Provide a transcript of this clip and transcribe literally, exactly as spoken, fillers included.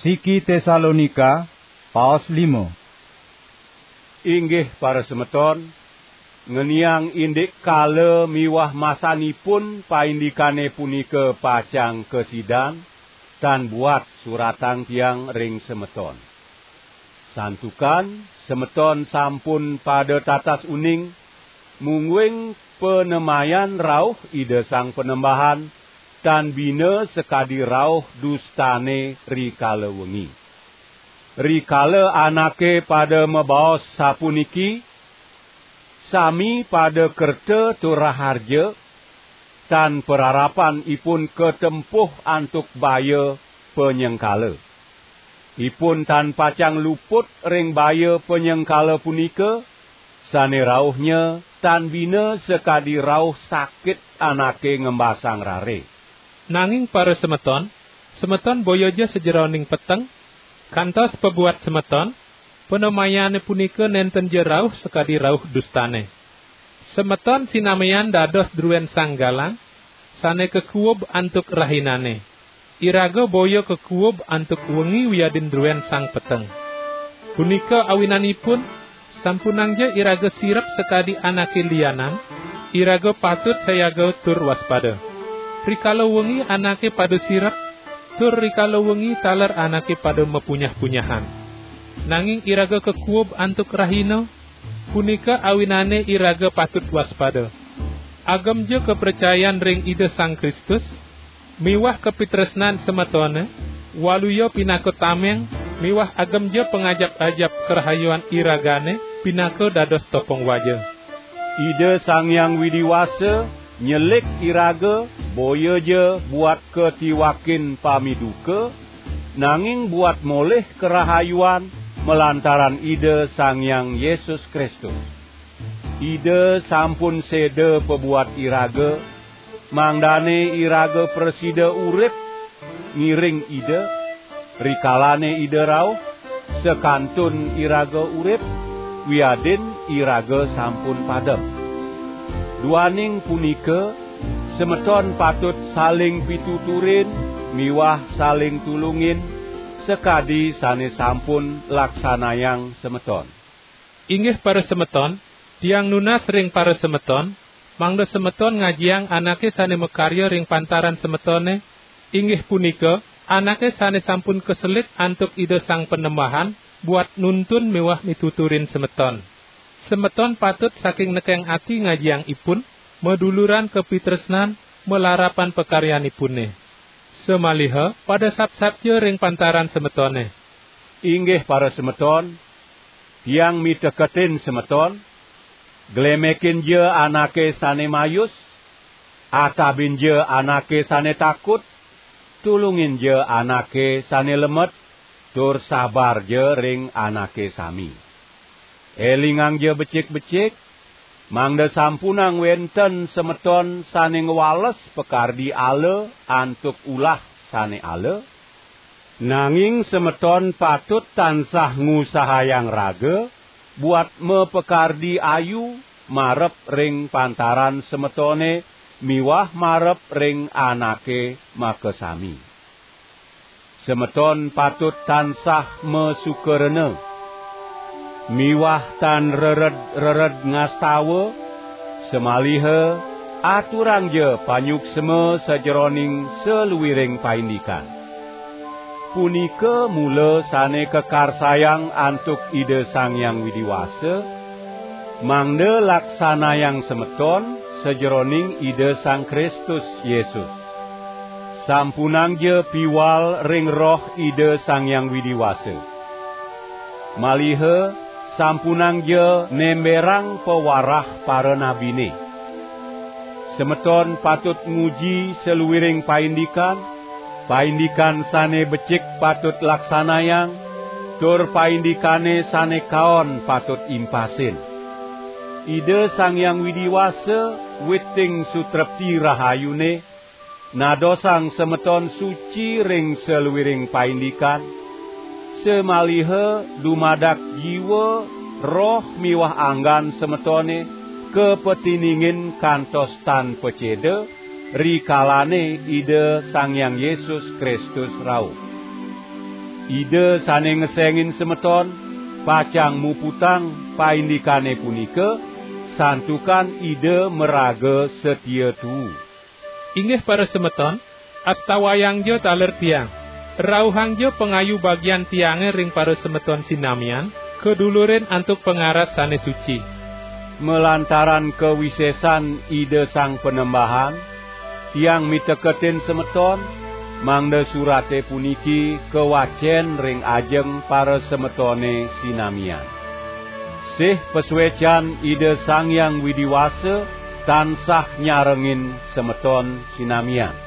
Siki Tesalonika, paos lima. Inggih parasemeton, ngeniang indik kala miwah masanipun paindikane punika pacang kasidan, tan buat suratang tiang ring semeton. Santukan semeton sampun pada tatas uning, mungguing panemayan rauh Ida Sang Panembahan, tan bina sakadi rauh dustane rikala wengi. Rikala anake pada mabaos sapuniki, sami pada kerta tur raharja, tan pararapan ipun katempuh antuk baya panyengkala. Ipun tan pacang luput ring baya panyengkala punika, sane rauhnya tan bina sakadi rauh sakit anake ngembasang rare. Nanging parasemeton, semeton boya ja sajeroning peteng, kantos pabuat semeton, panemayane punika nenten ja rauh sakadi rauh dustane. Semeton sinamian dados druen sang galang, sane kakuub antuk rahinane. Iraga boya kakuub antuk wengi wiadin druen sang peteng. Punika awinanipun, sampunangja iraga sirep sakadi anake lianan, iraga patut sayaga tur waspada. Rikala wengi anake pada sirep, tur rikala wengi taler anake pada mapunyah-punyahan. Nanging iraga kakuub antuk rahina, punika awinane iraga patut waspada. Agemja kapracayan ring Ida Sang Kristus, miwah kapitresnan semetone, waluya pinaka tameng, miwah agemja pangajap-ajap karahayuan iragane pinaka dados topong waja. Ida Sang Hyang Widi Wasa nyelik iraga, boya ja buat katiwakin pamiduka, nanging buat molih karahayuan malantaran Ida Sang Hyang Yesus Kristus. Ida sampun seda pabuat iraga, mangdane iraga prasida urip ngiring Ida, rikalane Ida rauh, sakantun iraga urip, wiadin iraga sampun padem. Duaning punika, semeton patut saling pituturin miwah saling tulungin, sakadi sane sampun laksanayang semeton. Inggih parasemeton, tiang nunas ring parasemeton, mangda semeton ngajiang anake sane makarya ring pantaran semetone, inggih punika, anake sane sampun kaselik antuk Ida Sang Panembahan buat nuntun miwah mituturin semeton. Semeton patut saking nekeng ati ngajiang ipun, maduluran kapitresnan, malarapan pakaryanipune. Samaliha pada sapsapja ring pantaran semetone. Inggih parasemeton, tiang miteketin semeton, glemekinja anake sane mayus, atabinja anake sane takut, tulunginja anake sane lemet, tur sabarja ring anake sami. Elingangja becik-becik, mangda sampunang wenten semeton sane ngwales pakardi ala antuk ulah sane ala, nanging semeton patut tansah ngusahayang raga buat mapakardi ayu marep ring pantaran semetone miwah marep ring anake makasami. Semeton patut tansah masukarena miwah tan rered-rered ngastawa, samaliha aturangja panyuksma sajeroning saluiring paindikan. Punika mula sane kakarsayang antuk Ida Sang Hyang Widi Wasa, mangda laksanayang semeton sajeroning Ida Sang Kristus Yesus. Sampunangja piwal ring Roh Ida Sang Hyang Widi Wasa. Maliha sampunangja nemberang pawarah paranabine. Semeton patut nguji saluiring paindikan, paindikan sane becik patut laksanayang, tur paindikane sane kaon patut impasin. Ida Sang Hyang Widi Wasa, witing sutrepti rahayune, nadosang semeton suci ring saluiring paindikan, samaliha dumadak jiwa, roh miwah anggan semetone kapatiningin kantos tan paceda, rikalane Ida Sang Hyang Yesus Kristus rauh. Ida sane ngesengin semeton, pacang muputang paindikane punika, santukan Ida maraga satia tuu. Inggih parasemeton, astawayangja taler tiang. Rauhangja pangayu bagian tiange ring parasemeton sinamian, kadulurin antuk pangaras sane suci. Malantaran kawisesan Ida Sang Panembahan, tiang miteketin semeton, mangda surate puniki kawacen ring ajeng parasemetone sinamian. Sih pasuecan Ida Sang Hyang Widi Wasa tansah nyarengin semeton sinamian.